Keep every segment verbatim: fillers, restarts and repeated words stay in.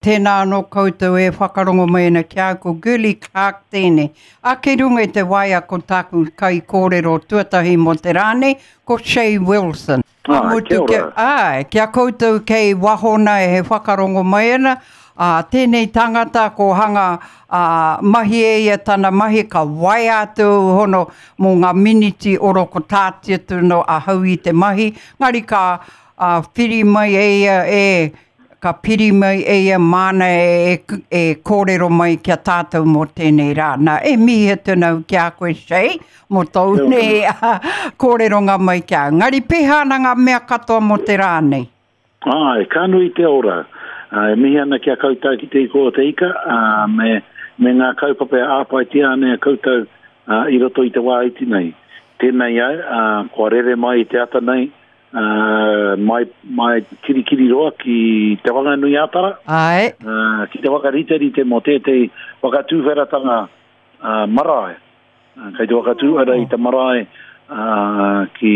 Tēnā anō koutou e whakarongo mai ana ki a au, ko Girlie Clark tēnei. A kei runga i te waea ko tāku kaikōrero tuatahi mō te rā nei, ko Che Wilson. Ka Āe, mutu kia kia, ora. āe, kia koutou kei waho nei he whakarongo mai ana, ā, tēnei tangata ko hanga ā, mahi e ia tana mahi ka waea atu hono mō ngā miniti oro ko tāti atu no ahau i te mahi, ngari ka ā, whiri mai e ia e, ka piri mai e ia māna e, e, e kōrero mai kia tātou mō tēnei rā. Nā, e mihi atu nau ki a koe, Che, mō tōu Kia ora. nei kōreronga mai ki a. Ngari pēhā ana ngā mea katoa mō te rā nei. Āe, ka nui te ora. Ā, e mihi ana ki a koutou ki te iko o te ika, ā, me, me ngā kaupapa e āpaitia ana e koutou ā, i roto i te wā iti nei. Tēnei au, ā, kua rere mai i te ata nei, ā, mai, mai Kirikiriroa ki Te Whanganui Ātara, Āe. ā, ki te whakariterite mō tētehi whakatūwheratanga ā, marae. Ā, Kei te whakatūwhera i te marae ā, ki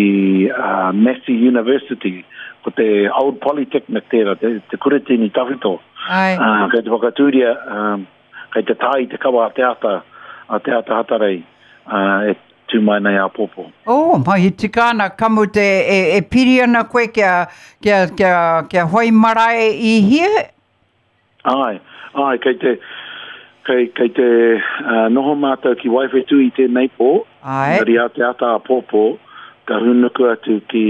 ā, Massey University, ko te Old Polytechnic tērā, te, te kuratini tawhito. Āe. Ā, kei te whakatūria, ā, kei te tā i te kawa a te ata, a te ata hatarei, ā, e tū mai nei āpōpō. Oh, mahi tika ana, ka mutu e, e, e piri ana koe kia, kia, kia, kia whai marae i hia? Āe, āe, kei te, kei, kei te uh, noho mātou ki Waiwhetū i tēnei pō, Āe. engari a te ata āpōpō, ka hūnuku atu ki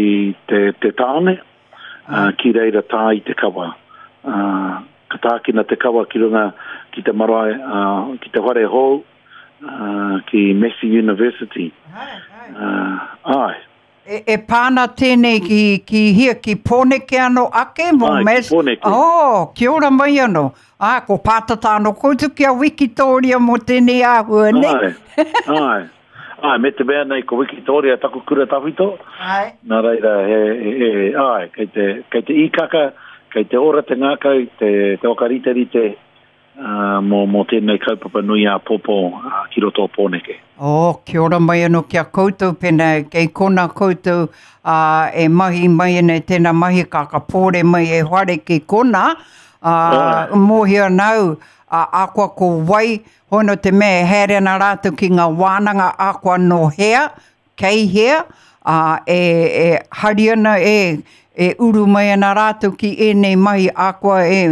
te, te tāone, uh, ki reira tā i te kawa. Uh, ka tākina te kawa ki runga ki te marae, uh, ki te whare hou, uh, ki Massey University. Uh, āe. E, e pāna tēnei ki, ki hia, ki Pōneke anō ake mō Āe, ki Mass- Pōneke. Oh, kia ora mai anō. Ā, ko pātata anō koutou ki a Wikitoria mō tēnei āhua nei. Āe, āe. Āe, me te mea nei ko Wikitoria taku kura tawhito. Āe. Nā reira, he, he, he, āe, kei te, kei te īkaka, kei te ora te ngākau, te, te whakariterite uh, mō, mō tēnei kaupapa nui āpōpō uh, ki roto o Pōneke. Oh, kia ora mai anō ki a koutou, pēnā kei kona koutou ā, e mahi mai ana i tēnā mahi ka ka pōre mai e whare ki kona, ā, Āe. mōhio ana au, ā, akoa ko wai, hono te mea e haere ana rātou ki ngā wānanga akoa no hea, kei hea, ā, e, e hari ana e, e uru mai ana rātou ki ēnei mahi akoa e,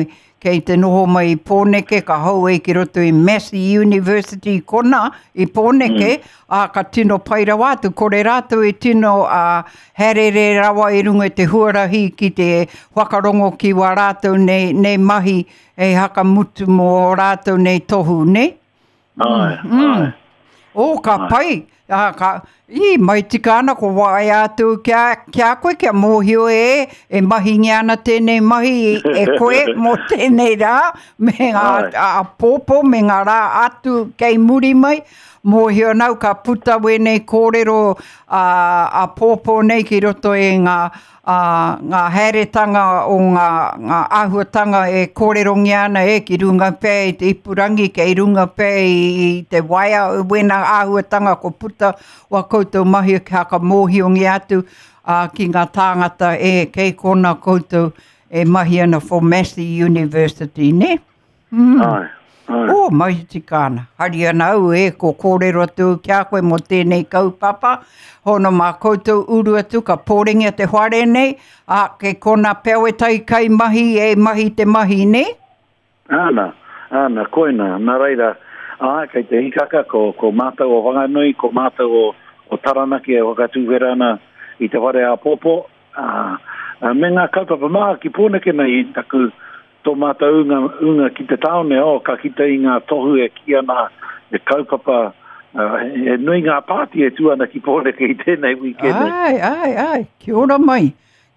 kei te noho mai i Pōneke, ka hou e ki roto i Massey University kona i Pōneke, mm. ā, ka tino pai rawa atu, kore rātou e tino ā, haerere rawa i runga i te huarahi ki te whakarongo ki wā rātou nei, nei mahi e hakamutu mō rātou nei tohu, ne? Āe, āe. O, ka pai. Ā, ka, i, mai tika ana ko waea atu kia, kia koe, kia mōhio e, e mahingia ana tēnei mahi e koe mō tēnei rā, me ngā Āe. āpōpō, me ngā rā atu kei muri mai. Mōhio nau ka puta wēnei kōrero ā, āpōpō nei ki roto i ngā, ā, ngā haeretanga o ngā, ngā āhuatanga e kōrerongia ana e ki runga pea i te ipurangi, kei runga pea i, i te waea, wēnā āhuatanga ko puta wa koutou mahi ki haka mōhiongia atu ā, ki ngā tāngata e kei kona koutou e mahi ana for Massey University, ne? Mm. Āe, āe. O, mahi tika ana. Hari ana au e, ko kōrero atu ki a koe mō tēnei kaupapa. Hono mā koutou uru atu, ka pōrengia te whare nei, ā, kei kona pea wētahi kai mahi e mahi te mahi, ne? Āna, āna, koina, nā reira, āe, kei te hikaka, ko, ko mātou o Whanganui, ko mātou o, o Taranaki e whakatūwhera ana i te whare āpōpō, ā, ā, me ngā kaupapa maha ki Pōneke nei i taku tō mātou ūnga, ūnga ki te tāone, oh, ka kite i ngā tohu e kī ana e kaupapa, uh, e nui ngā pāti e tū ana ki Pōneke i tēnei wīkene. Ai, ai, ai, kia ora mai,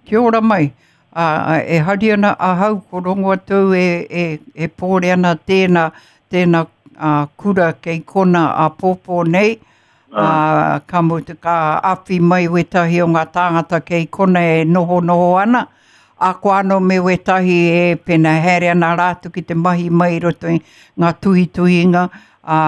kia ora mai. Ā, ā, e hari ana ahau ko rongo atu e, e, e pōre ana tēnā, tēnā ā, kura kei kona āpōpō nei. Ā, ka mutu ka awhi mai wētahi o ngā tāngata kei kona e noho noho ana. Ako anō me wētahi e pēnā haere ana rātou ki te mahi mai i roto i ngā tuhituhinga, ā,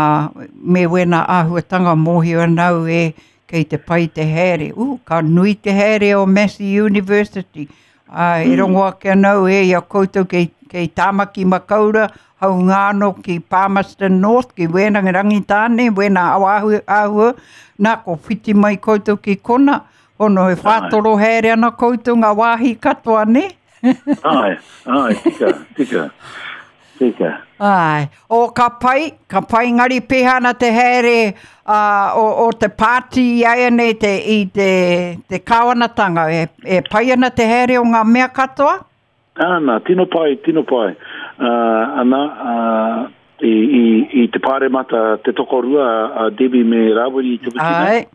me wēnā āhuatanga mōhio ana au e kei te pai te haere. U, ka nui te haere o Massey University. Ā, e rongo ake ana au e i a koutou kei, kei Tāmaki Makaurau, haunga anō ki Palmerston North, ki wēnā Rangitāne, wēnā awahu, āhua, nā, ko whiti mai koutou ki kona, hono e whātoro haere ana koutou ngā wāhi katoa, ne? Ai, ai, tika, tika, tika. Ai, o ka pai, ka pai ngari peha ana te haere uh, o, o te pāti i aia nei te, i te, te kāwanatanga. E, e pai ana te haere o ngā mea katoa? Ana, tino pai, tino pai. Uh, ana, uh, i, i, i te pāremata te tokorua a Debbie me Rawiri i te wiki nei. Ai.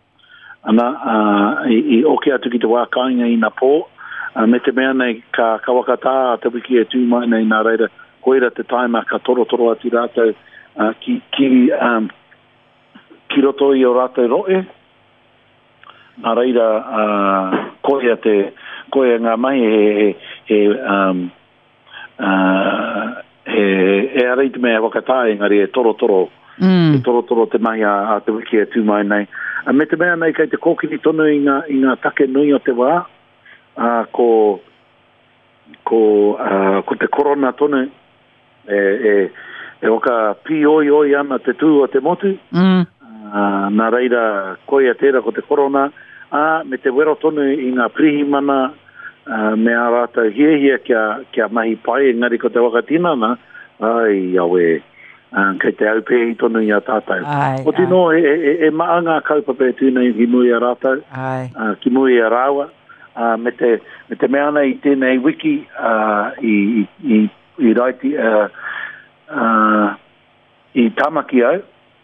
Ana, uh, i, i oke atu ki te wā kāinga i nā pō, uh, me te mea nei ka, ka wakatā te wiki e tū mai nei nā reira, koira te taima ka torotoro atu rātou uh, ki, ki, um, ki roto i o rātou roe. Nā reira, uh, koia, te, koia ngā mahi he, he, he, um, uh, he, e ara i te mea wakatā engari e torotoro, Mm. e torotoro te mahi a, a te wiki e tū mai nei. A me te mea nei kei te kōkiri tonu i ngā, i ngā take nui o te wā, uh, ko, ko, uh, ko te korona tonu e, e, e waka pīoioi ana te tū o te motu, Mm. uh, nā reira koia tērā ko te korona, ā, me te wero tonu i ngā pirihimana uh, me ā rātou hiahia kia, kia mahi pai, engari ko te whakatinana, ai, awe, uh, kei te aupēhi tonu i a tātou. Ai, Oti ai. nō, e, e, e maa ngā kaupapa e tū nei ki muri a rātou, Ai. uh, ki muri a rāua, uh, me, te, me te mea nei i tēnei wiki uh, i, i, i, i raiti, uh, uh, i Tamaki au,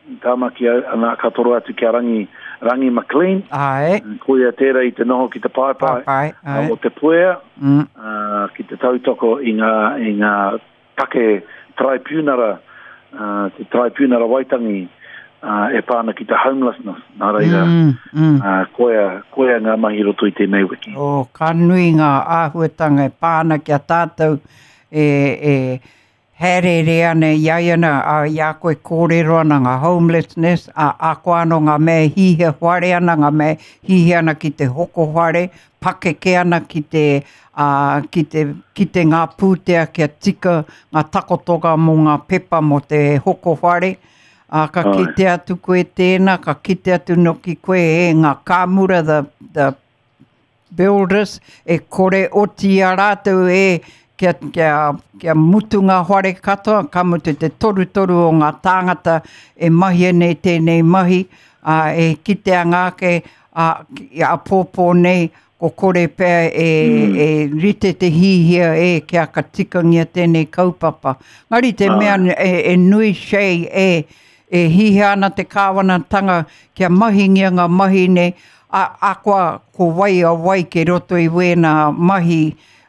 i Tamaki au, ana ka toro atu ki a Rangi, Rangi McLean, Ai. koia tērā i te noho ki te paepae, Paepae, ai. uh, o te puea, Mm. uh, ki te tautoko i ngā, i ngā take traipunara, uh, te traipunara Waitangi, uh, e pāna ki te homelessness, nā reira, Mm, mm. uh, koia, koia ngā mahi roto i tēnei wiki. O, ka nui ngā āhuatanga e pāna ki a tātou e, e haerere ana i ai ana, a, i a koe kōrero ana ngā homelessness, a, a koa anō ngā mea hihia whare ana, ngā mea hihia ana ki te hoko whare, pakeke ana ki te, a, ki te, ki te ngā pūtea kia tika ngā takotoga mō ngā pepa mō te hoko whare. A, ka Ai. kite atu koe tēnā, ka kite atu noki koe e ngā kāmura, the, the builders, e kore oti a rātou e kia, kia, kia mutu ngā whare katoa, ka mutu te torutoru o ngā tāngata e mahi nei tēnei mahi, a, e kite anga ake a, ki- a pōpō nei, ko kore pea e, mm. e rite te hihia e kia ka tikangia tēnei kaupapa. Ngari te mea e, e nui shei e, e hihia ana te kāwanatanga kia mahingia ngā mahi nei, a, a koa ko wai a wai ke roto i wēnā mahi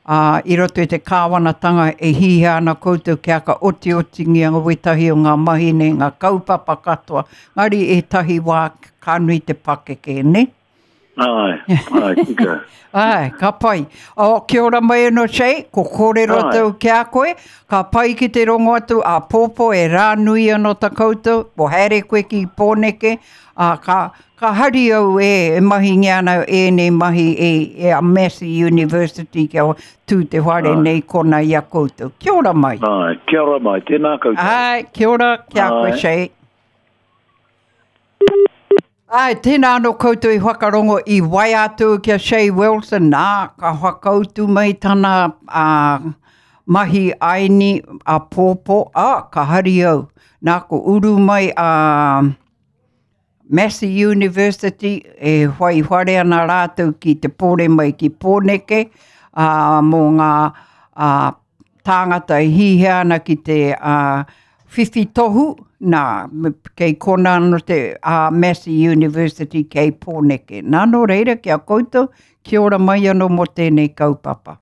uh, i roto i te kāwanatanga e hihia ana koutou kia ka otiotingia ngā wetahi o ngā mahi nei, ngā kaupapa katoa. Ngari ētahi wā ka nui te pakeke, ne? Ai, ai, tika. Ai, ka pai. O, kia ora mai anō, Shay, ko kōrero Ai. tau ki a koe, ka pai ki te rongo atu a pōpō e rā nui anō ta koutou, o haere koe ki Pōneke, a, ka, ka hari au e, e mahingia ana ēnei mahi e, e a Massey University kia tū te whare Ai. nei kona i a koutou. Kia ora mai. Ai, kia ora mai, tēnā koutou. Ai, kia ora, kia koe, Ai. Shay. Ai, tēnā anō koutou i whakarongo i wai atu ki a Shay Wilson. Nā, ka whakautu mai tana uh, mahi aini a pōpō. Ah, ka hari au. Nā, ko uru mai a uh, Massey University e whai whare ana rātou ki te pōre mai ki Pōneke uh, mō ngā uh, tāngata e hihia ana ki te uh, whiwhi tohu, nā, me- kei kona anō te uh, Massey University kei Pōneke. Nā, nō reira, ki a koutou, kia ora mai anō mō tēnei kaupapa.